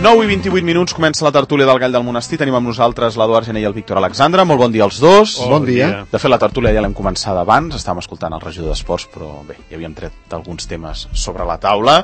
9 i 28 minuts, comença la tertúlia del Gall del Monestir. Tenim amb nosaltres l'Eduard Gené i el Víctor Alexandre. Molt bon dia als dos. Bon dia. De fet, la tertúlia ja l'hem començada abans. Estàvem escoltant el regidor d'Esports, però bé, ja havíem tret alguns temes sobre la taula.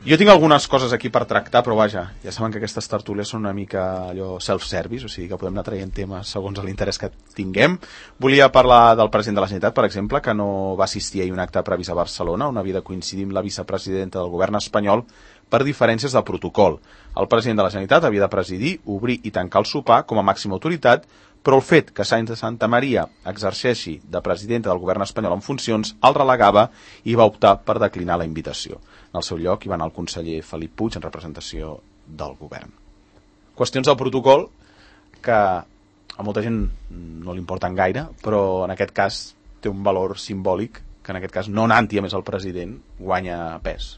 Jo tinc algunes coses aquí per tractar, però vaja, ja saben que aquestes tertúlies són una mica allò self-service, o sigui que podem anar traient temes segons l'interès que tinguem. Volia parlar del president de la Generalitat, per exemple, que no va assistir ahir a un acte previst a Barcelona, on havia de coincidir amb la vicepresidenta del govern espanyol per diferències de protocol. El president de la Generalitat havia de presidir, obrir i tancar el sopar com a màxima autoritat, però el fet que Sáenz de Santa Maria exerceixi de presidenta del govern espanyol en funcions el relegava i va optar per declinar la invitació. En el seu lloc hi va anar el conseller Felip Puig en representació del govern. Qüestions del protocol que a molta gent no li importen gaire, però en aquest cas té un valor simbòlic que en aquest cas no anant-hi a més el president guanya pes.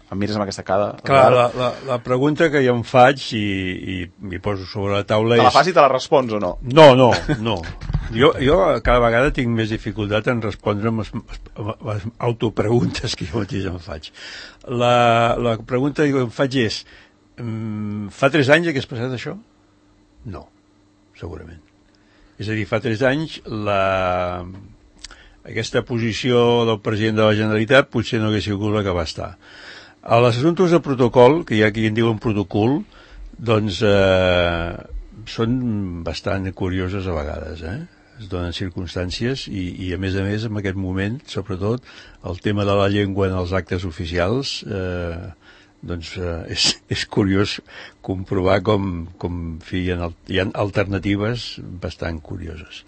Em mires amb aquesta cara... Clar, la pregunta que jo em faig i m'hi poso sobre la taula és... Te la fas i te la respons o no? No. Jo cada vegada tinc més dificultat en respondre amb les autopreguntes que jo mateix em faig. La pregunta que em faig és... Fa 3 anys que has passat això? No, segurament. És a dir, fa 3 anys aquesta posició del president de la Generalitat potser no hagués sigut la que va estar. A les assumptes de protocol, que hi ha qui en diuen protocol, doncs són bastant curioses a vegades, es donen circumstàncies i a més, en aquest moment, sobretot, el tema de la llengua en els actes oficials, és curiós comprovar com hi ha alternatives bastant curioses.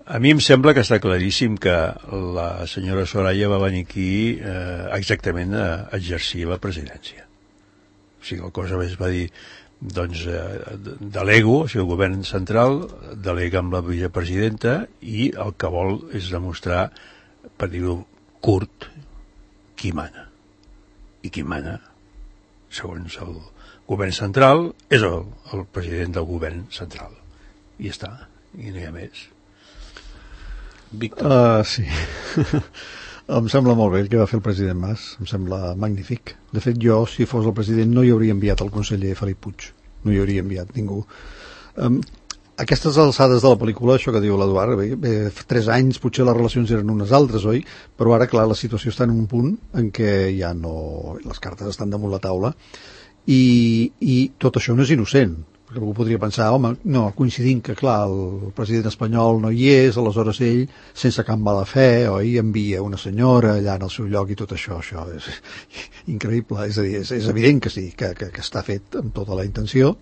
A mi em sembla que està claríssim que la senyora Soraya va venir aquí exactament a exercir la presidència. O sigui, el cosa es va dir, doncs, delego, o sigui, el govern central delega amb la vicepresidenta i el que vol és demostrar, per dir-ho curt, qui mana. I qui mana, segons el govern central, és el president del govern central. I ja està, i no hi ha més. Víctor. Sí. Em sembla molt bé el que va fer el president Mas, em sembla magnífic. De fet, jo, si fos el president, no hi hauria enviat el conseller Felip Puig, no hi hauria enviat ningú. Aquestes alçades de la pel·lícula, això que diu l'Eduard, bé, 3 anys potser les relacions eren unes altres, oi? Però ara, clar, la situació està en un punt en què ja no... les cartes estan damunt la taula i tot això no és innocent. Perquè algú podria pensar, home, no, coincidint que, clar, el president espanyol no hi és, aleshores ell, sense cap mala fe, oi, envia una senyora allà en el seu lloc i tot això és increïble. És a dir, és evident que sí, que està fet amb tota la intenció,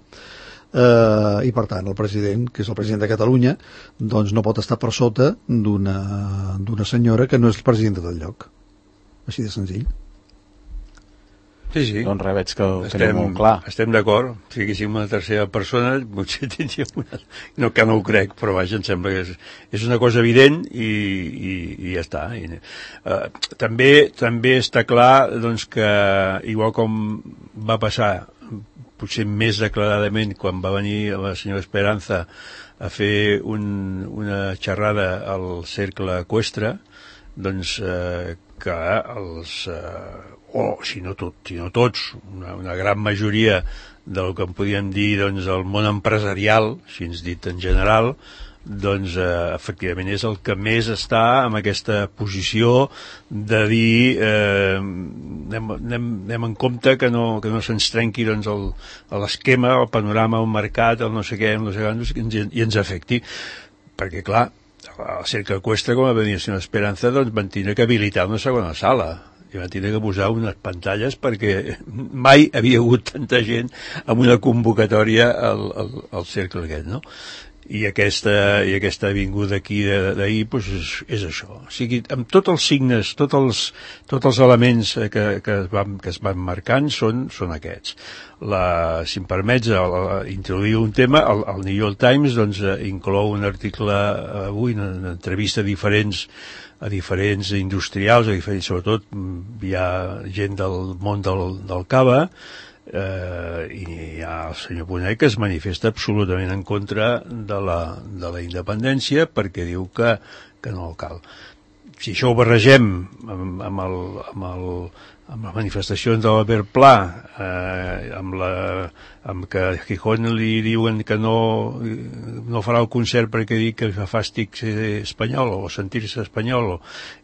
i per tant el president, que és el president de Catalunya, doncs no pot estar per sota d'una senyora que no és presidenta del lloc. Així de senzill. Sí. Doncs res, veig que ho tenim molt clar. Estem d'acord. Si haguéssim una tercera persona, potser tindríem una... No, que no ho crec, però vaja, em sembla que és una cosa evident i ja està. També està clar doncs, que, igual com va passar, potser més declaradament, quan va venir la senyora Esperanza a fer una xerrada al Cercle Eqüestre, doncs que els... si no tots, una gran majoria del que en podíem dir doncs, el món empresarial, així ens dit en general, doncs efectivament és el que més està en aquesta posició de dir anem en compte que no se'ns trenqui doncs, l'esquema, el panorama, el mercat, el no sé què, i ens afecti. Perquè, clar, al Cercle Eqüestre, com va venir la senyora Esperanza, doncs van tindre que habilitar una segona sala i van tindre que posar unes pantalles perquè mai havia hagut tanta gent amb una convocatòria al cercle aquest, no? I aquesta vinguda aquí d'ahir doncs és això. O sigui, amb tots els signes, tots els elements que es van marcant són aquests. Si em permets introduir un tema, el New York Times doncs, inclou un article avui, una entrevista a diferents industrials, sobretot hi ha gent del món del cava, i hi ha el senyor Bonet que es manifesta absolutament en contra de la independència perquè diu que no cal. si això ho barregem amb les manifestacions de l'Albert Pla, amb que a Gijón li diuen que no farà el concert perquè diu que fa fàstic ser espanyol o sentir-se espanyol,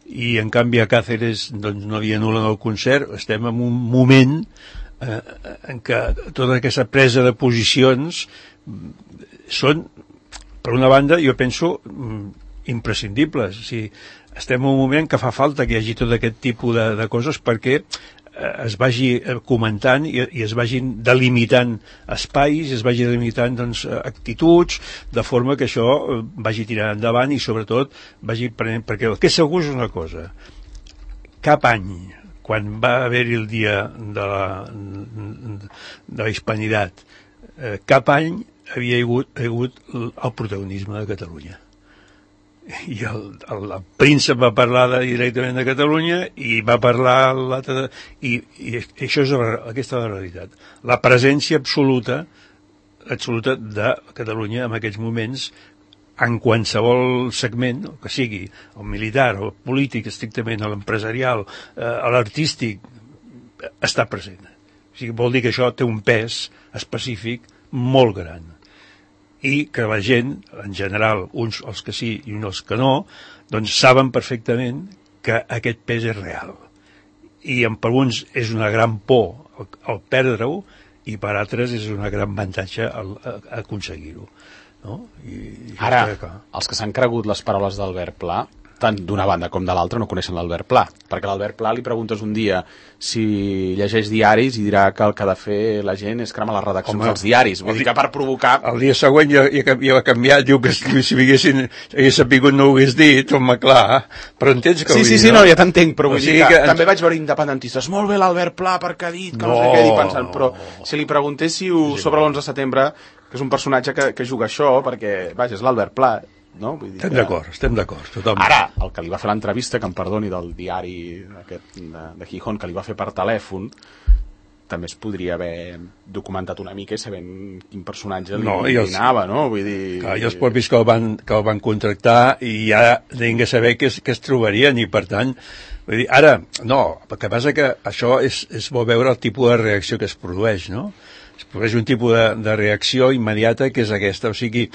i en canvi a Càceres doncs, no li anulen el concert. Estem en un moment en què tota aquesta presa de posicions són, per una banda, jo penso, imprescindibles. O sigui, estem en un moment que fa falta que hi hagi tot aquest tipus de coses perquè es vagi comentant i es vagin delimitant espais, es vagi delimitant doncs, actituds, de forma que això vagi tirant endavant i sobretot vagi prenent, perquè el que és segur és una cosa: cap any, quan va haver-hi el dia de la hispanitat, cap any havia hagut el protagonisme de Catalunya. I el príncep va parlar directament de Catalunya i va parlar l'altre, i això és aquesta és la realitat, la presència absoluta de Catalunya en aquests moments en qualsevol segment, que sigui el militar, el polític estrictament, l'empresarial, l'artístic, està present. O sigui, vol dir que això té un pes específic molt gran, i que la gent, en general, uns els que sí i uns els que no, doncs saben perfectament que aquest pes és real. I per uns és una gran por el perdre-ho, i per altres és una gran avantatge aconseguir-ho. No? Ara, els que s'han cregut les paraules d'Albert Pla, tant d'una banda com de l'altra, no coneixen l'Albert Pla, perquè l'Albert Pla li preguntes un dia si llegeix diaris i dirà que el que ha de fer la gent és cremar les redaccions dels diaris. Vull dir que per provocar... El dia següent ja ha canviat, diu que si hagués sabut no ho hagués dit, home, clar, però entens que... Sí, no, ja t'entenc, però vull dir que també vaig veure independentistes, molt bé l'Albert Pla perquè ha dit que no sé què, pensant, però si li preguntéssiu sobre l'11 de setembre, que és un personatge que juga això, perquè, vaja, és l'Albert Pla, no? Vull dir estem d'acord, totalment. Ara, el que li va fer l'entrevista, que em perdoni, del diari aquest de Gijón, que li va fer per telèfon, també es podria haver documentat una mica i sabent quin personatge li anava, no? Vull dir... Clar, i els propis que el van contractar i ja deien que saber que es trobarien, i per tant, vull dir, ara, no, el que passa que això és bo veure el tipus de reacció que es produeix, no? Es produeix un tipus de reacció immediata que és aquesta, o sigui,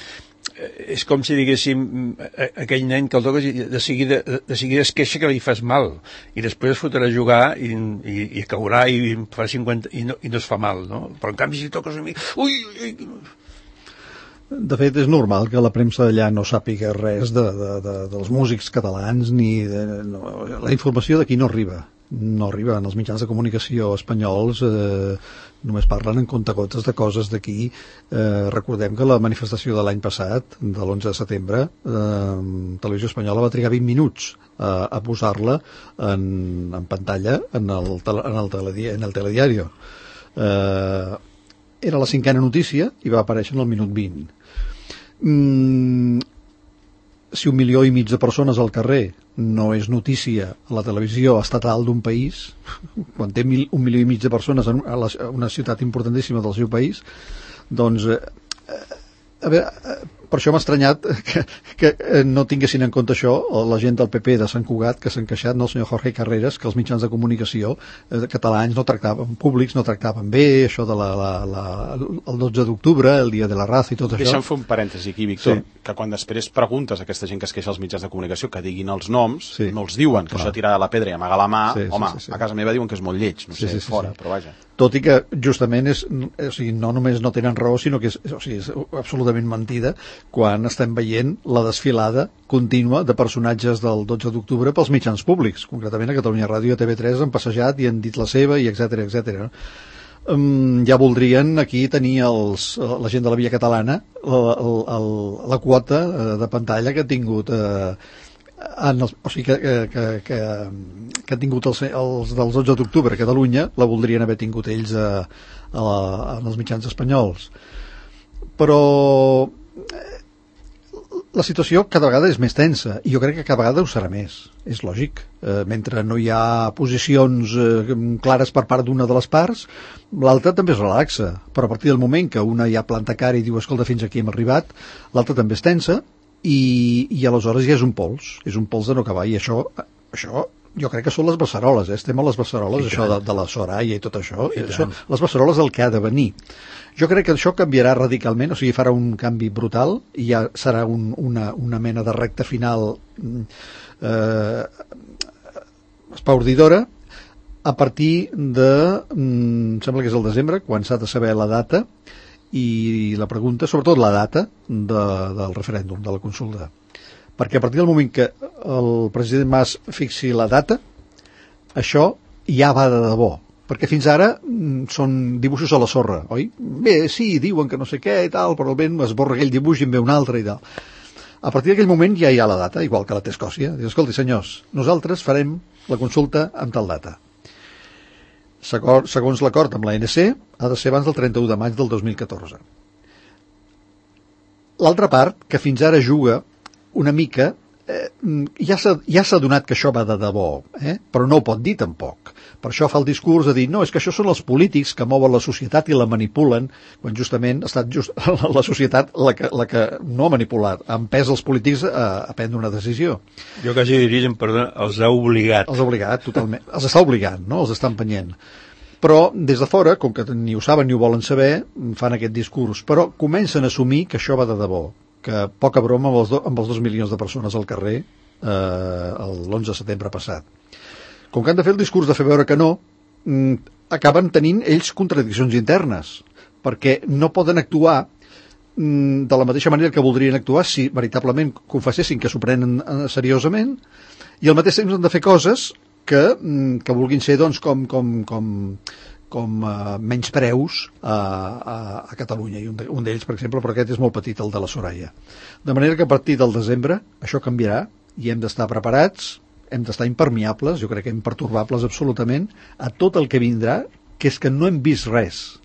és com si diguéssim aquell nen que el toques i de seguida es queixa que li fas mal i després es fotrà a jugar i caurà i fa 50 i no es fa mal, no? Però en canvi si toques a mi... Ui! De fet, és normal que la premsa d'allà no sàpiga res dels músics catalans, la informació d'aquí no arriba. No arriba. En els mitjans de comunicació espanyols només parlen en comptagotes de coses d'aquí. Recordem que la manifestació de l'any passat, de l'11 de setembre, Televisió Espanyola va trigar 20 minuts a posar-la en pantalla en el telediario. Era la 5a notícia i va aparèixer en el minut 20. Si 1,5 milió de persones al carrer no és notícia a la televisió estatal d'un país, quan té 1,5 milió de persones en una ciutat importantíssima del seu país, doncs a veure, per això m'ha estranyat que no tinguessin en compte això la gent del PP de Sant Cugat, que s'han queixat, el senyor Jorge Carreras, que els mitjans de comunicació catalans públics no tractaven bé això de el 12 d'octubre, el dia de la raza i tot això. Deixa'm fer un parèntesi aquí, Víctor, que quan després preguntes a aquesta gent que es queixa als mitjans de comunicació que diguin els noms, no els diuen, que això tirar de la pedra i amagar la mà, a casa meva diuen que és molt lleig, no sé, fora, però vaja. Tot i que justament no només no tenen raó, sinó que és absolutament mentida quan estem veient la desfilada contínua de personatges del 12 d'octubre pels mitjans públics. Concretament a Catalunya Ràdio i a TV3 han passejat i han dit la seva, i etcètera. Ja voldrien aquí tenir la gent de la Via Catalana la quota de pantalla que ha tingut o sigui que han tingut els del 12 d'octubre a Catalunya, la voldrien haver tingut ells en els mitjans espanyols. Però la situació cada vegada és més tensa i jo crec que cada vegada ho serà més, és lògic. Mentre no hi ha posicions clares per part d'una de les parts, l'altra també es relaxa, però a partir del moment que una ja planta cara i diu escolta, fins aquí hem arribat, l'altra també és tensa i aleshores ja és un pols de no acabar, i això jo crec que són les beceroles, estem a les beceroles, això de la Soraya i tot això, les beceroles el que ha de venir. Jo crec que això canviarà radicalment, o sigui, farà un canvi brutal i ja serà una mena de recta final espaordidora a partir de, sembla que és el desembre, quan s'ha de saber la data i la pregunta, sobretot la data del referèndum, de la consulta. Perquè a partir del moment que el president Mas fixi la data, això ja va de debò. Perquè fins ara són dibuixos a la sorra, oi? Bé, sí, diuen que no sé què i tal, però el vent esborra aquell dibuix i en ve un altre i tal. A partir d'aquell moment ja hi ha la data, igual que la té Escòcia. Dius, escolti, senyors, nosaltres farem la consulta amb tal data. Segons l'acord amb l'ANC, ha de ser abans del 31 de maig del 2014. L'altra part, que fins ara juga una mica, ja s'ha donat que això va de debò, però no ho pot dir tampoc. Per això fa el discurs de dir, no, és que això són els polítics que mouen la societat i la manipulen, quan justament ha estat la societat la que no ha manipulat, ha empès els polítics a prendre una decisió. Jo quasi diria, perdona, els ha obligat. Els ha obligat, totalment. Els està obligant, no? Els està empenyent. Però des de fora, com que ni ho saben ni ho volen saber, fan aquest discurs. Però comencen a assumir que això va de debò, que poca broma amb els 2 milions de persones al carrer l'11 de setembre passat. Com que han de fer el discurs de fer veure que no, acaben tenint ells contradiccions internes, perquè no poden actuar de la mateixa manera que voldrien actuar si veritablement confessessin que s'ho prenen seriosament, i al mateix temps han de fer coses que vulguin ser doncs, com menyspreus a Catalunya, i un d'ells, per exemple, però aquest és molt petit, el de la Soraya. De manera que a partir del desembre això canviarà i hem d'estar preparats, hem d'estar impermeables, jo crec que impertorbables absolutament, a tot el que vindrà, que és que no hem vist res.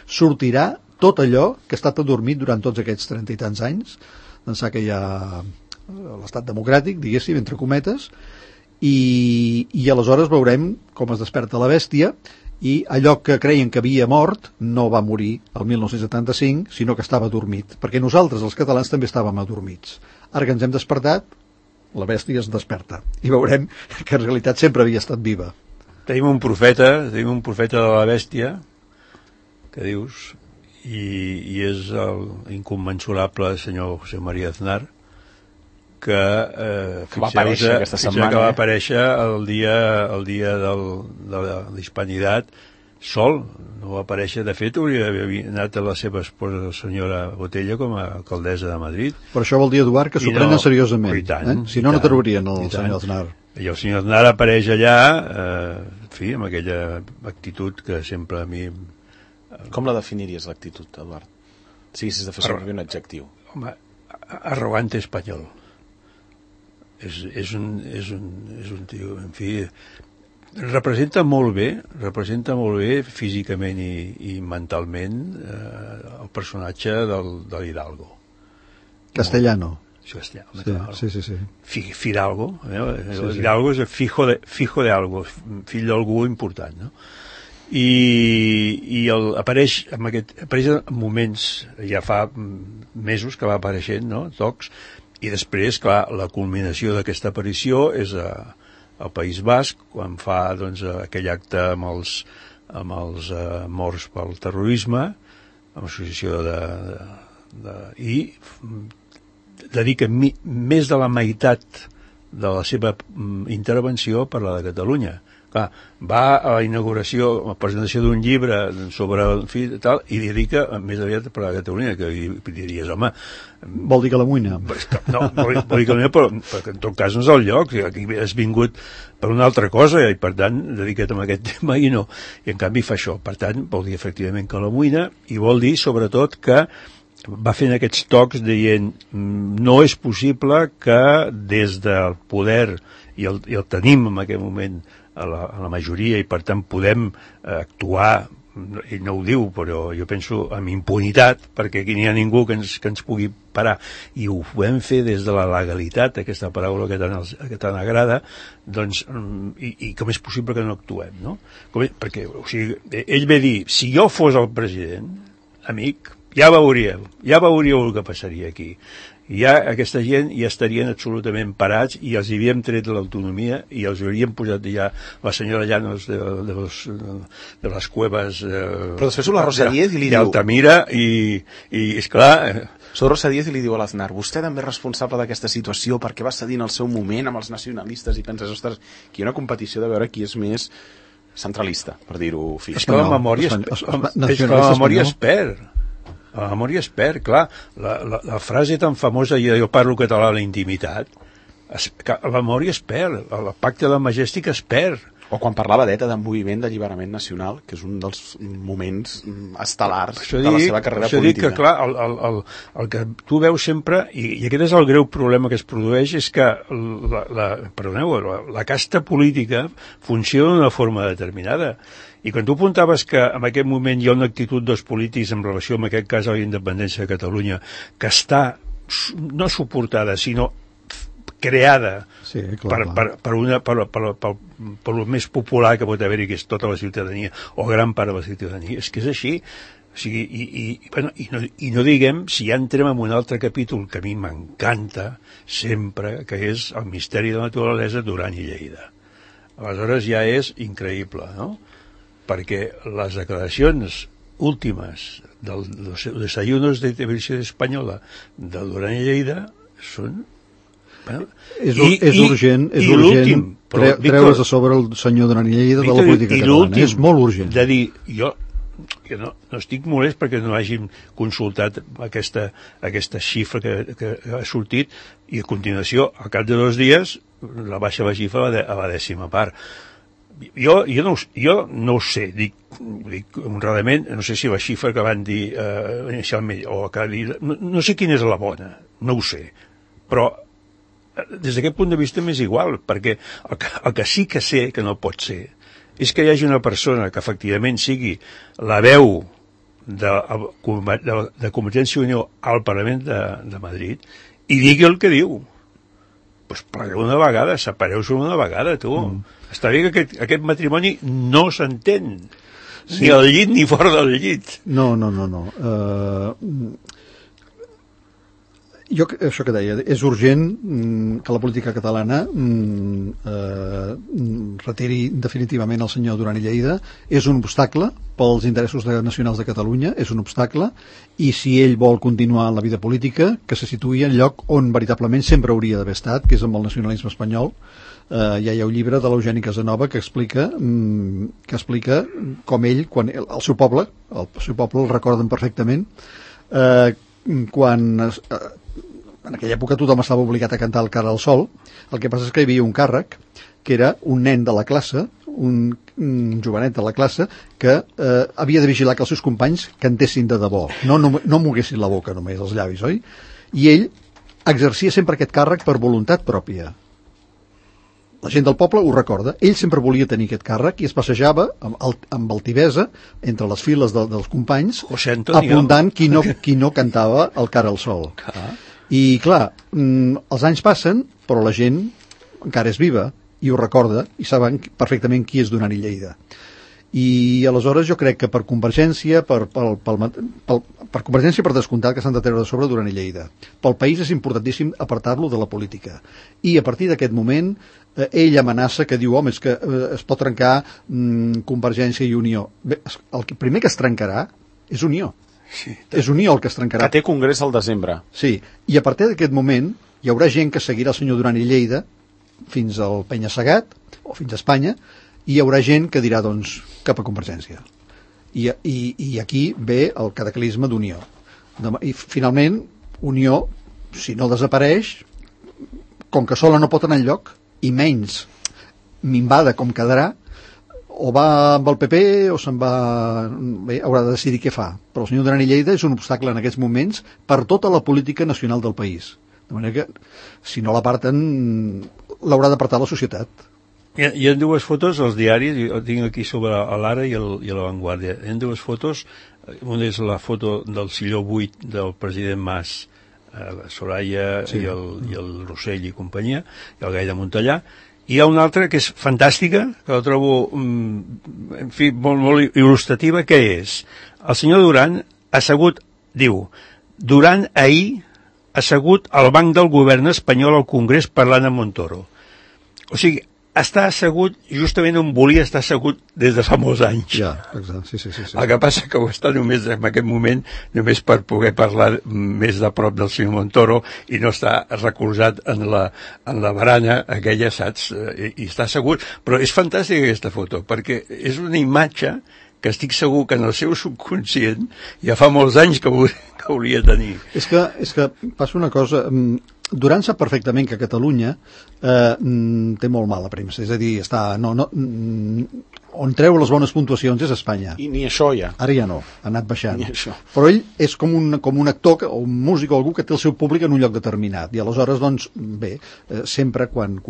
Sortirà tot allò que ha estat adormit durant tots aquests 30 i tants anys, d'ençà que hi ha l'estat democràtic, diguéssim, entre cometes, i aleshores veurem com es desperta la bèstia, i allò que creien que havia mort no va morir el 1975, sinó que estava adormit, perquè nosaltres, els catalans, també estàvem adormits. Ara que ens hem despertat, la bèstia es desperta, i veurem que en realitat sempre havia estat viva. Tenim un profeta de la bèstia, que dius, i és l'incommensurable senyor José María Aznar, que va aparèixer aquesta setmana, que va aparèixer el dia de la Hispanitat sol, no va aparèixer. De fet, hauria d'haver anat a la seva esposa, la senyora Botella, com a alcaldessa de Madrid. Per això vol dir, Eduard, que s'ho prenen seriosament. Tant, si no, no trobarien el senyor Aznar. I el senyor Aznar apareix allà, en fi, amb aquella actitud que sempre a mi... Com la definiries, l'actitud, Eduard? Si haguessis de fer servir un adjectiu. Home, arrogante espanyol. És un tio, en fi... representa molt bé físicament i mentalment el personatge de l'Hidalgo. Castellano. Sí. Fidalgo, Hidalgo és el fijo de algo, fill d'algú important, no? I apareix en moments, ja fa mesos que va apareixent, no? Tocs, i després, clar, la culminació d'aquesta aparició és al País Basc, quan fa doncs, aquell acte amb els morts pel terrorisme, amb l'associació i dedica més de la meitat de la seva intervenció a parlar de Catalunya. Clar, va a la inauguració, a la presentació d'un llibre sobre el fill tal, i dedica més aviat a parlar de Catalunya, que diries, home... Vol dir que la muina. No, vol dir que la muina, però en tot cas no és el lloc, aquí has vingut per una altra cosa, i per tant, dedica't a aquest tema, i no. I en canvi fa això. Per tant, vol dir efectivament que la muina, i vol dir, sobretot, que va fent aquests tocs dient no és possible que des del poder, i el tenim en aquest moment a la majoria, i per tant podem actuar, ell no ho diu, però jo penso amb impunitat, perquè aquí n'hi ha ningú que ens pugui parar, i ho podem fer des de la legalitat, aquesta paraula que tant agrada, doncs, i com és possible que no actuem, no? Perquè, o sigui, ell ve dir, si jo fos el president, amic, ja veuríeu el que passaria aquí. ja aquesta gent ja estarien absolutament parats i els havíem tret l'autonomia i els hauríem posat ja la senyora Llanos de les cueves però després surt la Rosa Díez i li diu d'Altamira i esclar surt Rosa Díez i li diu a l'Aznar vostè també és responsable d'aquesta situació perquè va cedir en el seu moment amb els nacionalistes i penses, ostres, aquí hi ha una competició de veure qui és més centralista, per dir-ho fi. És que la memòria es perd. La memòria es perd, clar. La frase tan famosa jo parlo català a la intimitat, la memòria es perd, el pacte del Majestic es perd. O quan parlava d'ETA d'un moviment d'alliberament nacional, que és un dels moments estel·lars de la seva carrera política. Això dic que, clar, el que tu veus sempre, i aquest és el greu problema que es produeix, és que la casta política funciona d'una forma determinada. I quan tu apuntaves que en aquest moment hi ha una actitud dels polítics en relació amb aquest cas a la independència de Catalunya que està no suportada, sinó creada per el més popular que pot haver-hi, que és tota la ciutadania, o gran part de la ciutadania. És que és així. O sigui, i no diguem, si ja entrem en un altre capítol que a mi m'encanta sempre, que és el misteri de la naturalesa Duran i Lleida. Aleshores ja és increïble, no? Perquè les declaracions últimes dels desayunos de Televisión Espanyola de Duran i Lleida són... Bueno, és urgent treure's a sobre el senyor Duran i Lleida de la política catalana. És molt urgent. De dir, jo no estic molest perquè no hàgim consultat aquesta xifra que ha sortit i a continuació, al cap de 2 dies, la baixa la xifra a la 10ª part. Jo no ho sé, dic honradament, no sé si la xifra que van dir inicialment o que no sé quina és la bona, no ho sé, però des d'aquest punt de vista m'és igual, perquè el que sí que sé que no pot ser és que hi hagi una persona que efectivament sigui la veu de Convergència i Unió al Parlament de Madrid i digui el que diu. Doncs plegueu una vegada, separeu-se una vegada, tu. Està bé que aquest matrimoni no s'entén, ni al llit ni fora del llit. No. Això que deia, és urgent que la política catalana retiri definitivament el senyor Duran i Lleida. És un obstacle pels interessos nacionals de Catalunya, és un obstacle, i si ell vol continuar en la vida política, que se situï en lloc on veritablement sempre hauria d'haver estat, que és amb el nacionalisme espanyol. Ja hi ha un llibre de l'Eugeni Casanova que explica com ell, quan el seu poble el recorden perfectament, quan en aquella època tothom estava obligat a cantar el Cara al Sol. El que passa és que hi havia un càrrec que era un nen de la classe, un jovenet de la classe que havia de vigilar que els seus companys cantessin de debò, no moguessin la boca només, els llavis, oi? I ell exercia sempre aquest càrrec per voluntat pròpia. La gent del poble ho recorda. Ell sempre volia tenir aquest càrrec i es passejava amb altivesa entre les files dels companys, apuntant qui no cantava el Cara al Sol. I clar, els anys passen, però la gent encara és viva i ho recorda i saben perfectament qui és Duran i Lleida. I aleshores jo crec que per Convergència, per Convergència per descomptat que s'han de treure de sobre Duran i Lleida. Pel país és importantíssim apartar-lo de la política. I a partir d'aquest moment ell amenaça que diu, home, és que es pot trencar Convergència i Unió. Bé, el primer que es trencarà és Unió. Sí, és Unió el que es trencarà. Que té congrés al desembre. Sí, i a partir d'aquest moment hi haurà gent que seguirà el senyor Duran i Lleida fins al Penya-Segat o fins a Espanya, i hi haurà gent que dirà, doncs, cap a Convergència. I aquí ve el cataclisme d'Unió. I finalment, Unió, si no desapareix, com que sola no pot anar enlloc, i menys minvada com quedarà, o va amb el PP o se'n va... Bé, haurà de decidir què fa. Però el senyor Duran i Lleida és un obstacle en aquests moments per tota la política nacional del país. De manera que, si no l'aparten, l'haurà d'apartar la societat. Hi ha 2 fotos als diaris, jo tinc aquí sobre l'Ara i la Vanguardia. Hi ha 2 fotos, una és la foto del silló buit del president Mas, Soraya i el Rossell i companyia, i el Gai de Montellà, i hi ha una altra que és fantàstica, que la trobo en fi, molt il·lustrativa, que és el senyor Duran assegut, diu, Duran ahir assegut al banc del govern espanyol al Congrés parlant amb Montoro. O sigui, està assegut justament on volia estar assegut des de fa molts anys. Ja, exacte, sí. El que passa que ho està només en aquest moment, només per poder parlar més de prop del senyor Montoro i no està recolzat en la barana aquella, saps? I està assegut. Però és fantàstica aquesta foto, perquè és una imatge que estic segur que en el seu subconscient ja fa molts anys que hauria de tenir. És que passa una cosa... Duran sap perfectament que Catalunya té molt mala premsa, és a dir, on treu les bones puntuacions és Espanya. I ni això ja. Ara ja no, ha anat baixant. Però ell és com un actor o un músic o algú que té el seu públic en un lloc determinat, i aleshores, doncs, bé, sempre quan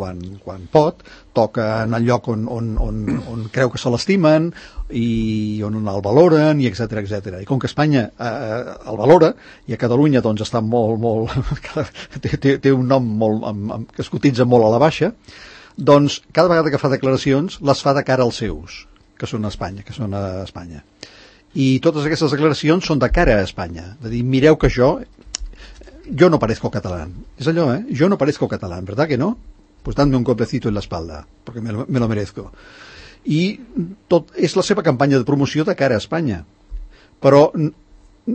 pot, toca en el lloc on creu que se l'estimen i on el valoren, i etcètera. I com que Espanya el valora, i a Catalunya doncs està molt té un nom que es cotitza molt a la baixa, doncs cada vegada que fa declaracions les fa de cara als seus, que són a Espanya. I totes aquestes declaracions són de cara a Espanya, de dir, mireu que yo no parezco catalán. És allò, yo no parezco catalán, ¿verdad que no? Pues dadme un golpecito en la espalda, porque me lo merezco. I tot és la seva campanya de promoció de cara a Espanya. Però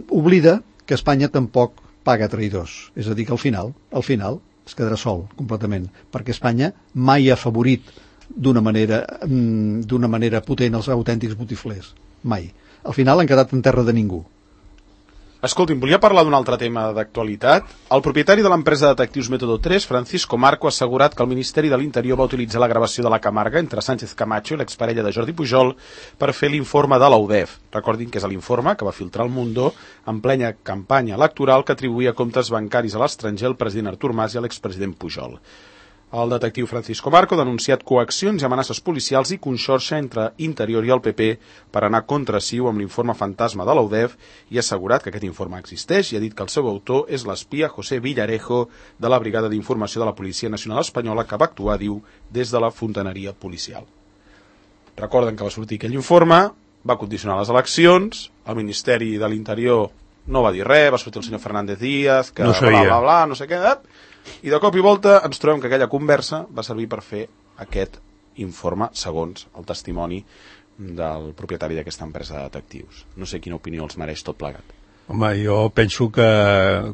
oblida que Espanya tampoc paga traïdors. És a dir, que al final es quedarà sol, completament, perquè Espanya mai ha favorit d'una manera potent els autèntics botiflers. Mai. Al final han quedat en terra de ningú. Escolti'm, volia parlar d'un altre tema d'actualitat. El propietari de l'empresa de detectius Método 3, Francisco Marco, ha assegurat que el Ministeri de l'Interior va utilitzar la gravació de la Camarga entre Sánchez Camacho i l'exparella de Jordi Pujol per fer l'informe de l'UDEF. Recordin que és l'informe que va filtrar el Mundo en plena campanya electoral que atribuïa comptes bancaris a l'estranger al president Artur Mas i a l'expresident Pujol. El detectiu Francisco Marco ha denunciat coaccions i amenaces policials i conxorxa entre Interior i el PP per anar contra Ciu amb l'informe fantasma de l'UDEF i ha assegurat que aquest informe existeix i ha dit que el seu autor és l'espia José Villarejo de la Brigada d'Informació de la Policia Nacional Espanyola que va actuar, diu, des de la fontaneria policial. Recorden que va sortir aquell informe, va condicionar les eleccions, el Ministeri de l'Interior no va dir res, va sortir el senyor Fernández Díaz, que no no sé què, i de cop i volta ens trobem que aquella conversa va servir per fer aquest informe segons el testimoni del propietari d'aquesta empresa de detectius. No sé quina opinió els mereix tot plegat. Home, jo penso que,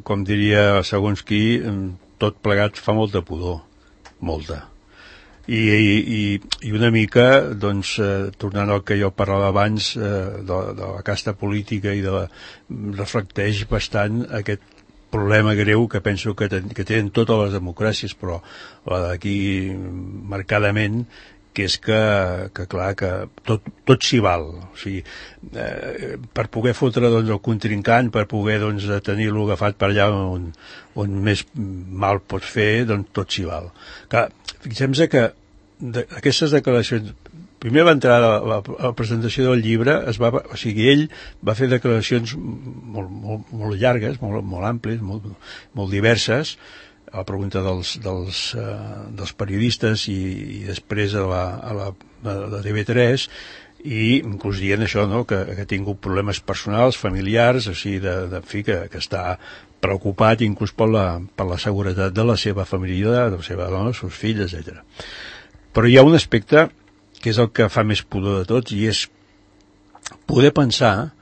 com diria segons qui, tot plegat fa molta pudor, molta. I una mica, doncs, tornant al que jo parlava abans de la casta política i reflecteix bastant aquest problema greu que penso que tenen totes les democràcies, però la d'aquí marcadament, que és que clar, que tot s'hi val. O sigui, per poder fotre doncs, el contrincant, per poder doncs, tenir-lo agafat per allà on més mal pot fer, doncs tot s'hi val. Clar, fixem-se que aquestes declaracions... Primer va entrar a la presentació del llibre, o sigui, ell va fer declaracions molt llargues, molt àmplies, molt diverses, a la pregunta dels periodistes i després a la TV3, i inclús dient això, no?, que ha tingut problemes personals, familiars, o sigui, que està preocupat inclús per la seguretat de la seva família, de la seva dona, els seus fills, etc. Però hi ha un aspecte que és el que fa més pudor de tots, i és poder pensar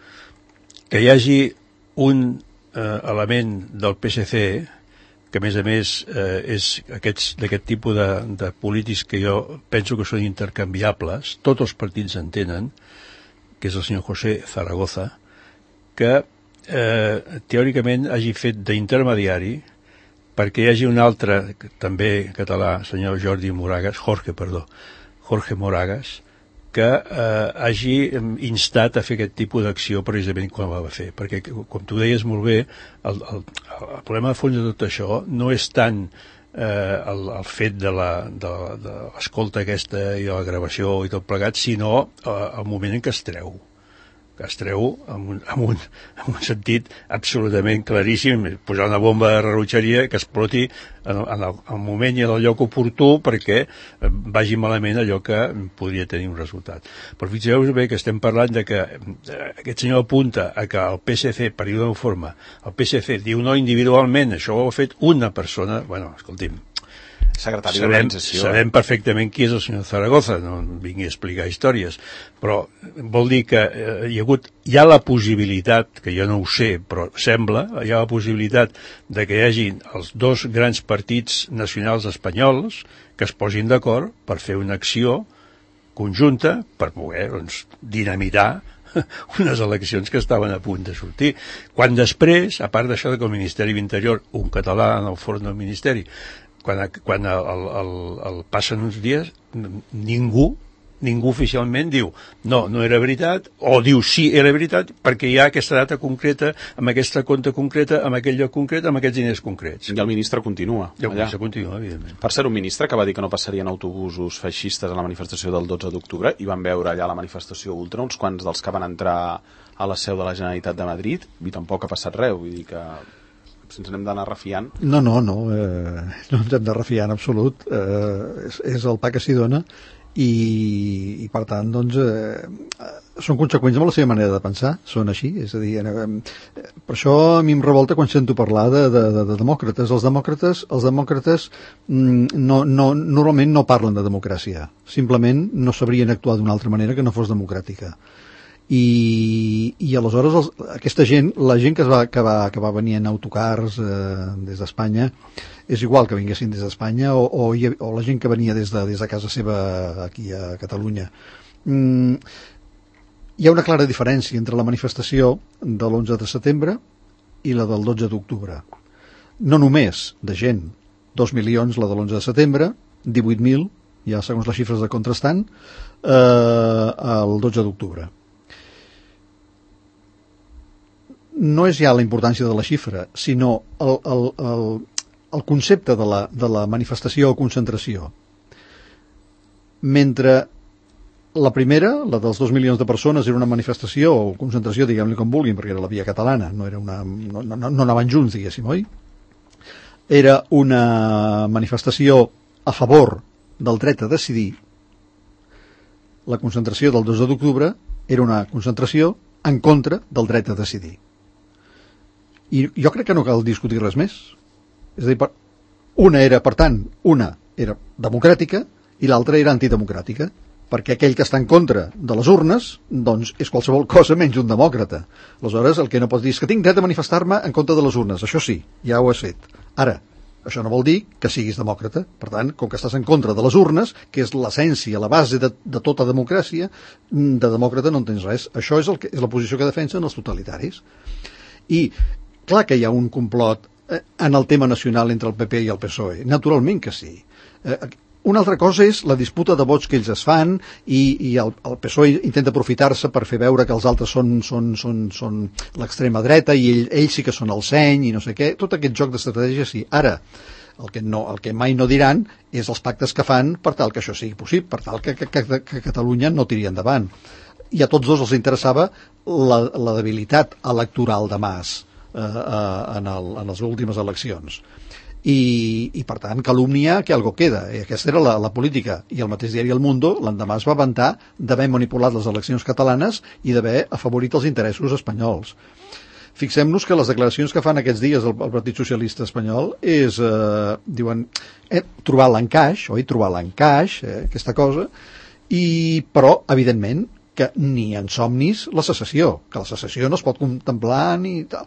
que hi hagi un element del PSC, que a més és d'aquest tipus de polítics que jo penso que són intercanviables, tots els partits en tenen, que és el senyor José Zaragoza, que teòricament hagi fet d'intermediari perquè hi hagi un altre, també català, senyor Jorge Moragas, que hagi instat a fer aquest tipus d'acció precisament quan la va fer. Perquè, com tu deies molt bé, el problema de fons de tot això no és tant el fet de l'escolta aquesta i de la gravació i tot plegat, sinó el moment en què es treu. que es treu amb un sentit absolutament claríssim, posar una bomba de rellotgeria que exploti en el moment i en el lloc oportú perquè vagi malament allò que podria tenir un resultat. Però fixeu-vos bé que estem parlant de que aquest senyor apunta a que el PSC, per dir-ho d'una forma, el PSC diu no individualment, això ho ha fet una persona, bueno, escolti'm, secretari d'organització. Sabem perfectament qui és el senyor Zaragoza, no vingui a explicar històries, però vol dir que hi ha la possibilitat, que jo no ho sé, però sembla, hi ha la possibilitat de que hi hagi els dos grans partits nacionals espanyols que es posin d'acord per fer una acció conjunta per poder, doncs, dinamitar unes eleccions que estaven a punt de sortir. Quan després, a part d'això que el Ministeri d'Interior, un català en el forn del Ministeri, quan passen uns dies, ningú oficialment diu no era veritat, o diu sí, era veritat, perquè hi ha aquesta data concreta, amb aquesta compte concreta, amb aquell lloc concret, amb aquests diners concrets. I el ministre continua. I el ministre continua, evidentment. Per ser un ministre que va dir que no passarien autobusos feixistes a la manifestació del 12 d'octubre, i van veure allà la manifestació ultra, uns quants dels que van entrar a la seu de la Generalitat de Madrid, i tampoc ha passat res, vull dir que si ens n'hem d'anar refiant. No ens hem de refiar en absolut, és el pa que s'hi dona i per tant doncs són conseqüents amb la seva manera de pensar, són així, és a dir, per això a mi em revolta quan sento parlar de demòcrates. Els demòcrates normalment no parlen de democràcia, simplement no sabrien actuar d'una altra manera que no fos democràtica. I aleshores aquesta gent, la gent que va venir en autocars des d'Espanya, és igual que vinguessin des d'Espanya o la gent que venia des de casa seva aquí a Catalunya. Hi ha una clara diferència entre la manifestació de l'11 de setembre i la del 12 d'octubre. No només de gent, 2 milions la de l'11 de setembre, 18.000, ja segons les xifres de contrastant, el 12 d'octubre. No és ja la importància de la xifra, sinó el concepte de la manifestació o concentració. Mentre la primera, la dels 2 milions de persones, era una manifestació o concentració, diguem-li com vulguin, perquè era la via catalana, no anaven junts, diguéssim, oi? Era una manifestació a favor del dret a decidir. La concentració del 2 d'octubre era una concentració en contra del dret a decidir. I jo crec que no cal discutir res més. És a dir, una era democràtica i l'altra era antidemocràtica, perquè aquell que està en contra de les urnes doncs és qualsevol cosa menys un demòcrata. Aleshores, el que no pots dir és que tinc dret a manifestar-me en contra de les urnes. Això sí, ja ho has fet. Ara, això no vol dir que siguis demòcrata. Per tant, com que estàs en contra de les urnes, que és l'essència, la base de tota democràcia, de demòcrata no en tens res. Això és la posició que defensen els totalitaris. I clar que hi ha un complot en el tema nacional entre el PP i el PSOE, naturalment que sí. Una altra cosa és la disputa de vots que ells es fan i el PSOE intenta aprofitar-se per fer veure que els altres són l'extrema dreta i ells sí que són el seny i no sé què, tot aquest joc d'estratègia sí. Ara, el que mai no diran és els pactes que fan per tal que això sigui possible, per tal que Catalunya no tiri endavant. I a tots dos els interessava la debilitat electoral de Mas en les últimes eleccions i per tant calumnia que algo queda, i aquesta era la política. I el mateix diari El Mundo l'endemà es va vantar d'haver manipulat les eleccions catalanes i d'haver afavorit els interessos espanyols. Fixem-nos que les declaracions que fan aquests dies el Partit Socialista Espanyol és, diuen, trobar l'encaix, aquesta cosa, però evidentment que ni en somnis la secessió, que la secessió no es pot contemplar ni tal.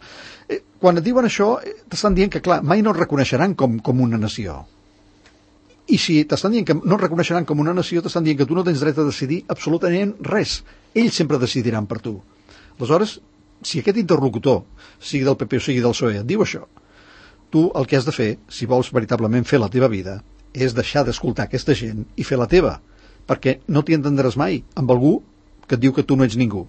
Quan et diuen això, t'estan dient que, clar, mai no et reconeixeran com una nació. I si t'estan dient que no et reconeixeran com una nació, t'estan dient que tu no tens dret a decidir absolutament res. Ells sempre decidiran per tu. Aleshores, si aquest interlocutor, sigui del PP o sigui del PSOE, et diu això, tu el que has de fer, si vols veritablement fer la teva vida, és deixar d'escoltar aquesta gent i fer la teva, perquè no t'hi entendràs mai amb algú que et diu que tu no ets ningú.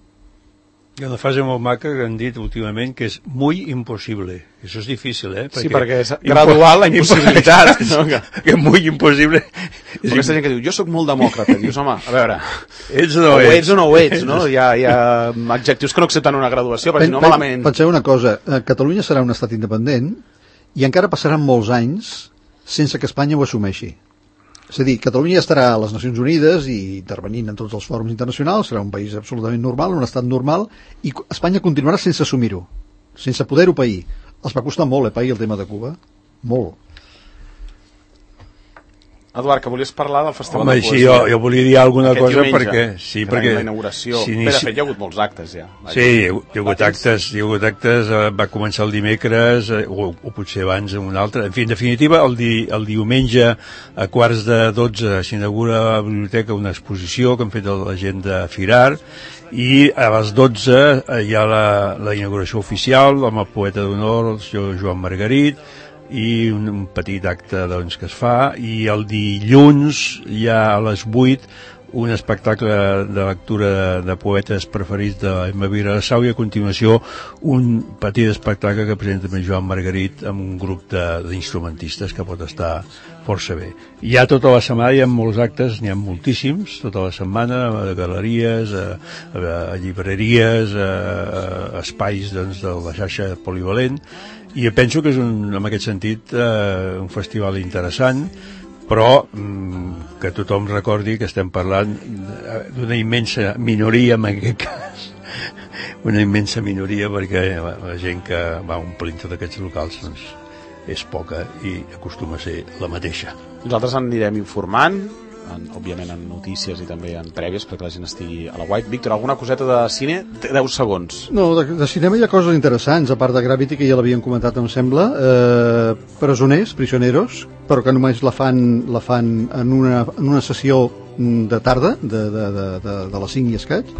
Hi ha una frase molt maca que han dit últimament que és muy imposible. Això és difícil, Sí, perquè és gradual la impossibilitat. Que muy imposible Però aquesta gent que diu, jo sóc molt demòcrata, dius, home, a veure, ets o no o ets? ets o no ho ets, no? Hi ha adjectius que no accepten una graduació, perquè si no malament... Penseu una cosa, Catalunya serà un estat independent i encara passaran molts anys sense que Espanya ho assumeixi. És a dir, Catalunya estarà a les Nacions Unides i intervenint en tots els fòrums internacionals, serà un país absolutament normal, un estat normal, i Espanya continuarà sense assumir-ho, sense poder-ho pair. Els va costar molt, pair el tema de Cuba. Molt. Eduard, que volies parlar del Festival Home, de sí, Poesia. jo volia dir alguna Aquest cosa diumenge, perquè... Sí, perquè la inauguració. si Bé, de fet, hi ha hagut molts actes, ja. Sí, hi ha hagut actes, va començar el dimecres, o potser abans en un altre. En fi, en definitiva, el diumenge a 11:45 s'inaugura a la biblioteca una exposició que han fet la gent de Firar, i a les 12 hi ha la inauguració oficial amb el poeta d'honor, el senyor Joan Margarit, i un petit acte doncs, que es fa, i el dilluns hi ha a les 8 un espectacle de lectura de poetes preferits d'Emma Vilassau, i a continuació un petit espectacle que presenta amb Joan Margarit amb un grup d'instrumentistes que pot estar força bé. Hi ha tota la setmana, hi ha molts actes, n'hi ha moltíssims, tota la setmana, a galeries, a llibreries, a espais doncs, de la xarxa polivalent, i penso que és en aquest sentit un festival interessant, però que tothom recordi que estem parlant d'una immensa minoria, en aquest cas, una immensa minoria, perquè la gent que va omplint tots aquests locals doncs, és poca i acostuma a ser la mateixa. Nosaltres anirem informant, òbviament en notícies i també en prèvies, perquè la gent estigui a la White. Víctor, alguna coseta de cine? 10 segons. No, de cinema hi ha coses interessants, a part de Gravity, que ja l'havien comentat, em sembla, Presoners, Prisioneros, però que només la fan en una sessió de tarda, de les 5 i escaig,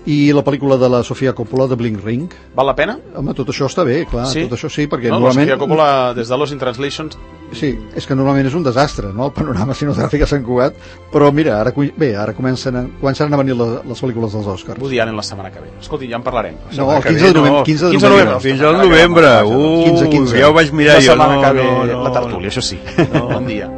i la pel·lícula de la Sofia Coppola, de Bling Ring. Val la pena? Home, tot això està bé, clar, sí? Tot això sí, perquè no, normalment... La Sofia Coppola, des de Lost in Translation... Sí, és que normalment és un desastre, no?, el panorama cinematogràfic a Sant Cugat, però mira, ara començaran a venir les pel·lícules dels Oscars. Woody Allen la setmana que ve. Escolti, ja en parlarem. No, el 15 de novembre. 15 de novembre. Fins al novembre. 15. Ja ho vaig mirar jo. La setmana que ve, la tertúlia, això sí. Bon dia.